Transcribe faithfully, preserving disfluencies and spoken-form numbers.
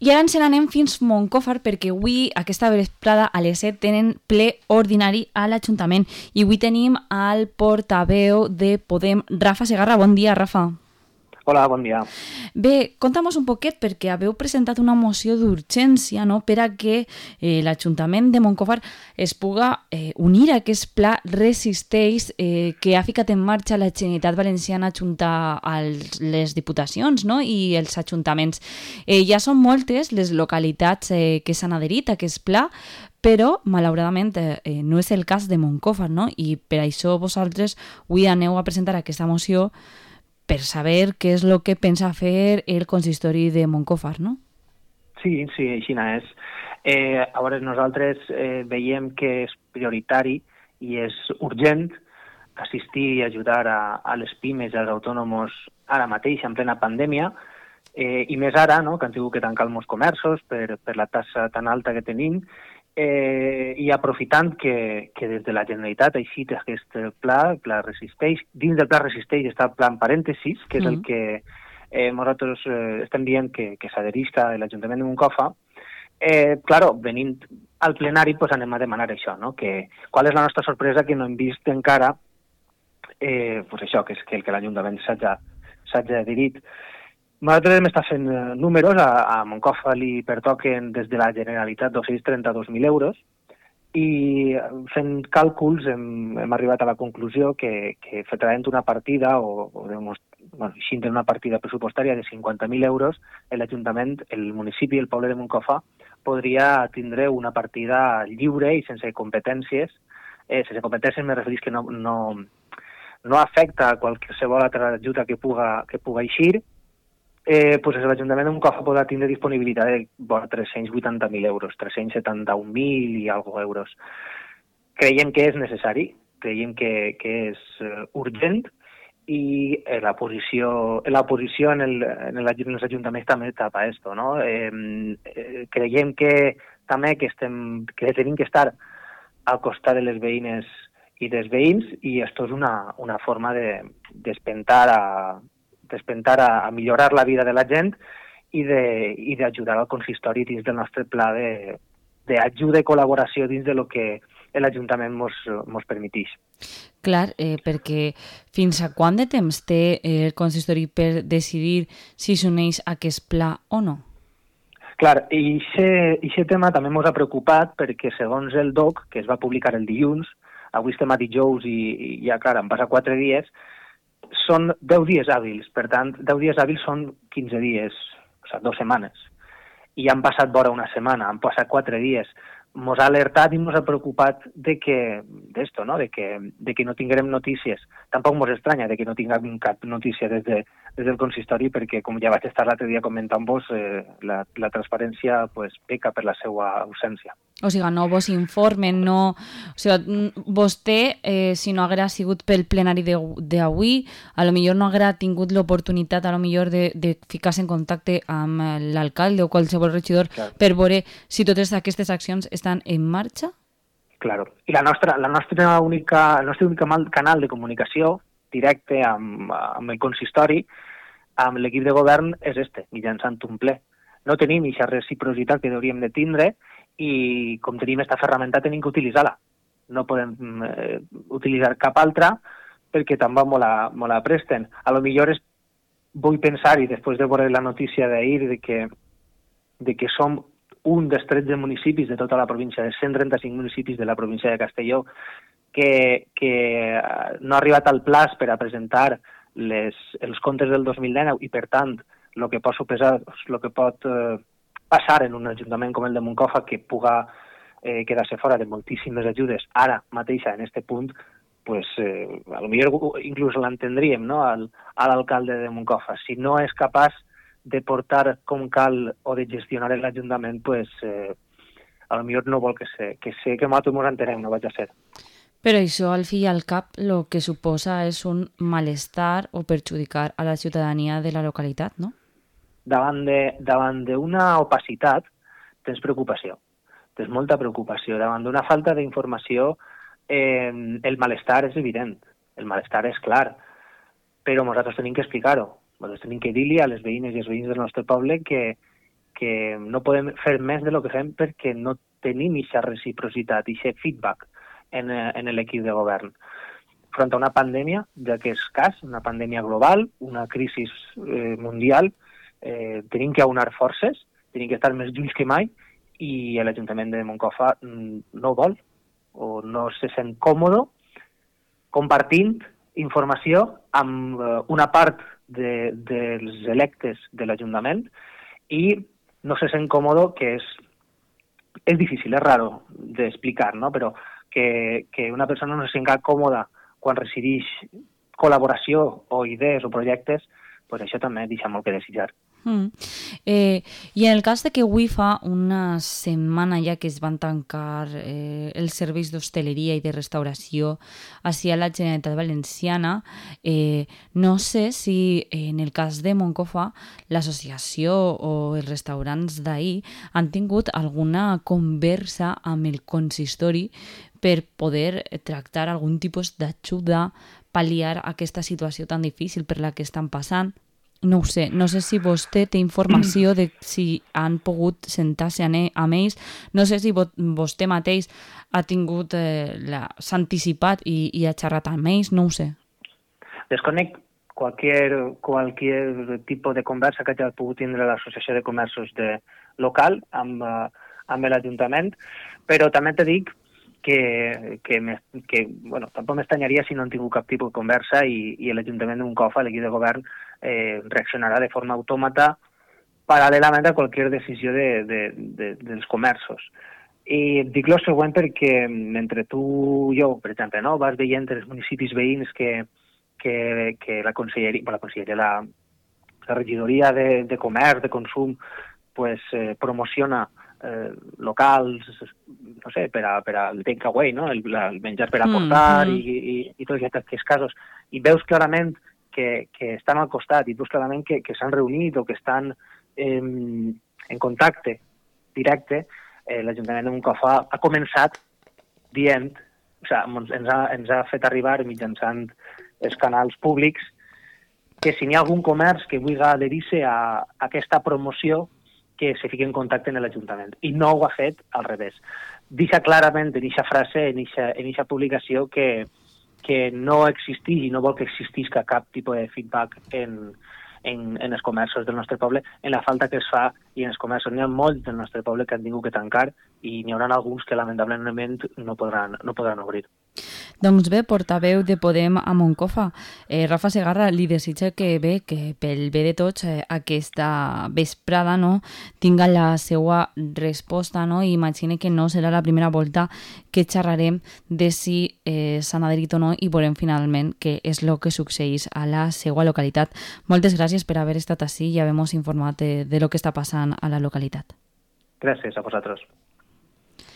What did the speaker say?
I ara ens n'anem fins Moncofa perquè avui, aquesta vesprada, a les set, tenen ple ordinari a l'Ajuntament. I avui tenim al portaveu de Podem, Rafa Segarra. Bon dia, Rafa. Hola, bon dia. Bé, conta'm un poquet, perquè haveu presentat una moció d'urgència, no?, per a que eh, l'Ajuntament de Moncofa es puga eh, unir a aquest pla Resisteix eh, que ha ficat en marxa la Generalitat Valenciana junt a les diputacions, no?, i els ajuntaments. Eh, ja són moltes les localitats eh, que s'han adherit a aquest pla, però, malauradament, eh, no és el cas de Moncofa, no?, i per això vosaltres avui aneu a presentar aquesta moció per saber què és el que pensa fer el consistori de Moncofa, no? Sí, sí, així és. Eh, a veure, nosaltres eh, veiem que és prioritari i és urgent assistir i ajudar a, a les pimes i als autònoms ara mateix, en plena pandèmia, eh, i més ara, no?, que han tingut que tancar molts comerços per, per la taxa tan alta que tenim, Eh, i aprofitant que, que des de la Generalitat ha eixit aquest pla, el pla Resisteix. Dins del pla Resisteix està el pla en parèntesis, que és mm. el que eh, nosaltres eh, estem dient que, que s'adherisca a l'Ajuntament de Moncofa. Eh, claro, venint al plenari pues, anem a demanar això, no? Que, qual és la nostra sorpresa que no hem vist encara eh, pues això, que és que, que l'Ajuntament s'hagi adherit. Nosaltres hem estat fent números, a, a Moncofa li pertoquen des de la Generalitat dos-cents trenta-dos mil euros i fent càlculs hem, hem arribat a la conclusió que, que traient una partida o, o bueno, així una partida pressupostària de cinquanta mil euros, l'Ajuntament, el municipi, el poble de Moncofa podria tindre una partida lliure i sense competències. Eh, sense competències me referís que no, no, no afecta qualsevol altra ajuda que puga, que puga eixir. Eh, pues l'Ajuntament de Moncofa podrà tindre disponibilitat de bueno, tres-cents vuitanta mil euros, tres-cents setanta-un mil i algo euros. Creiem que és necessari, creiem que, que és uh, urgent i eh, la posició, la posició en, el, en, el, en els ajuntaments també tapa esto, no? Eh, eh, creiem que també que, estem, que tenim que estar al costat de les veïnes i dels veïns i esto és una, una forma de despentar a despentar a, a millorar la vida de la gent i d'ajudar al consistori dins del nostre pla d'ajuda i col·laboració dins de lo que l'Ajuntament mos, mos permeteix. Clar, eh, perquè fins a quant de temps té el consistori per decidir si s'uneix a aquest pla o no? Clar, i aquest tema també ens ha preocupat perquè segons el D O C, que es va publicar el dilluns, avui estem a dijous i, i ja, clar, han passat quatre dies, són deu dies hàbils, per tant, deu dies hàbils són quinze dies, o sigui, dues setmanes. I han passat vora una setmana, han passat quatre dies. Ens ha alertat i ens ha preocupat de que, d'esto, no? de, que, de que no tinguem notícies. Tampoc ens estranya de que no tinguem cap notícia des, de, des del consistori, perquè, com ja vaig estar l'altre dia comentant-vos, eh, la, la transparència pues, peca per la seva ausència. O sigui, no vos informen, no... O sigui, vostè, eh, si no haguera sigut pel plenari d'avui, a lo millor no haguera tingut l'oportunitat, a lo millor, de, de ficar-se en contacte amb l'alcalde o qualsevol regidor claro. Per veure si totes aquestes accions estan en marxa? Claro. I la nostra, la nostra única, el nostre únic canal de comunicació directe amb, amb el consistori, amb l'equip de govern, és este, mitjançant un ple. No tenim aquesta reciprocitat que hauríem de tindre i com tenim aquesta ferramenta tenim que utilitzar-la. No podem eh, utilitzar cap altra perquè també me la, me la presten. A lo millor és, vull pensar, i després de veure la notícia d'ahir, de que, de que som un dels tretze municipis de tota la província, de cent trenta-cinc municipis de la província de Castelló, que, que no ha arribat al plaç per a presentar les, els comptes del dos mil dinou i, per tant, el que pot suposar, el que pot eh, passar en un ajuntament com el de Moncofa, que puga eh, quedar-se fora de moltíssimes ajudes ara mateixa en este punt, pues, eh, a lo millor inclús l'entendríem, no?, al, a l'alcalde de Moncofa. Si no és capaç de portar com cal o de gestionar l'Ajuntament, pues, eh, a lo millor no vol que sé, que sé que nosaltres ens entenem, no vaig a ser. Però això, al fi i al cap, el que suposa és un malestar o perjudicar a la ciutadania de la localitat, no? Davant de, davant d'una opacitat tens preocupació, tens molta preocupació. Davant d'una falta d'informació eh, el malestar és evident, el malestar és clar, però nosaltres tenim que explicar-ho. Nosaltres tenim que dir-li a les veïnes i els veïns del nostre poble que, que no podem fer més de lo que fem perquè no tenim aquesta reciprocitat, aquest feedback en, en l'equip de govern. Front a una pandèmia, ja que és cas, una pandèmia global, una crisi eh, mundial, eh, tenim que aunar forces, tenim que estar més junts que mai, i l'Ajuntament de Moncofa no vol o no se sent còmode compartint informació amb una part de, dels electes de l'Ajuntament i no se sent còmode, que és, és difícil, és raro d'explicar, no? Però que, que una persona no se sent còmoda quan resideix col·laboració o idees o projectes, pues això també deixa molt que desitjar. Mm. Eh, I en el cas de que avui fa una setmana ja que es van tancar eh, els serveis d'hostaleria i de restauració hacia la Generalitat Valenciana, eh, no sé si en el cas de Moncofa l'associació o els restaurants d'ahir han tingut alguna conversa amb el consistori per poder tractar algun tipus d'ajuda, pal·liar aquesta situació tan difícil per la que estan passant. No ho sé, no sé si vostè té informació de si han pogut sentar-se amb ells, no sé si vostè mateix ha tingut, eh, s'ha anticipat i, i ha xerrat amb ells, no ho sé. Desconec qualsevol qualsevol tipus de conversa que hagi pogut tindre l'Associació de Comerços de local amb, amb l'Ajuntament, però també te dic que, que, que bueno, tampoc m'estranyaria si no han tingut cap tipus de conversa i, i l'Ajuntament de Moncofa, l'equip de govern, eh, reaccionarà de forma autòmata paral·lelament a qualsevol decisió de, de, de, dels comerços. I dic el següent perquè mentre tu i jo, per exemple, no, vas veient els municipis veïns que, que, que la conselleria, bueno, la, conselleria la, la regidoria de, de comerç, de consum, pues, eh, promociona eh, locals, no sé, per, a, per al takeaway, no? el, el menjar per aportar mm -hmm. i, i, i tots aquests casos. I veus clarament que, que estan al costat i veus clarament que, que s'han reunit o que estan eh, en contacte directe. Eh, L'Ajuntament de Moncofa ha començat dient, o sigui, ens ha, ens ha fet arribar mitjançant els canals públics que si n'hi ha algun comerç que vulgui adherir-se a, a aquesta promoció, que se fiqui en contacte amb l'Ajuntament. I no ho ha fet al revés. Deixa clarament en aquesta frase, en aquesta publicació, que, que no existeix i no vol que existisca cap tipus de feedback en, en, en els comerços del nostre poble, en la falta que es fa, i en els comerços n'hi ha molts del nostre poble que han tingut que tancar i n'hi haurà alguns que lamentablement no podran, no podran obrir. Doncs bé, portaveu de Podem a Moncofa, eh, Rafa Segarra, li desitja que bé, que pel bé de tots eh, aquesta vesprada no, tinga la seva resposta, no? I imagine que no serà la primera volta que xerrarem de si eh, s'han adherit o no i veurem finalment què és el que succeeix a la seva localitat. Moltes gràcies per haver estat ací i haver-nos informat de, de lo que està passant a la localitat. Gràcies a vosaltres.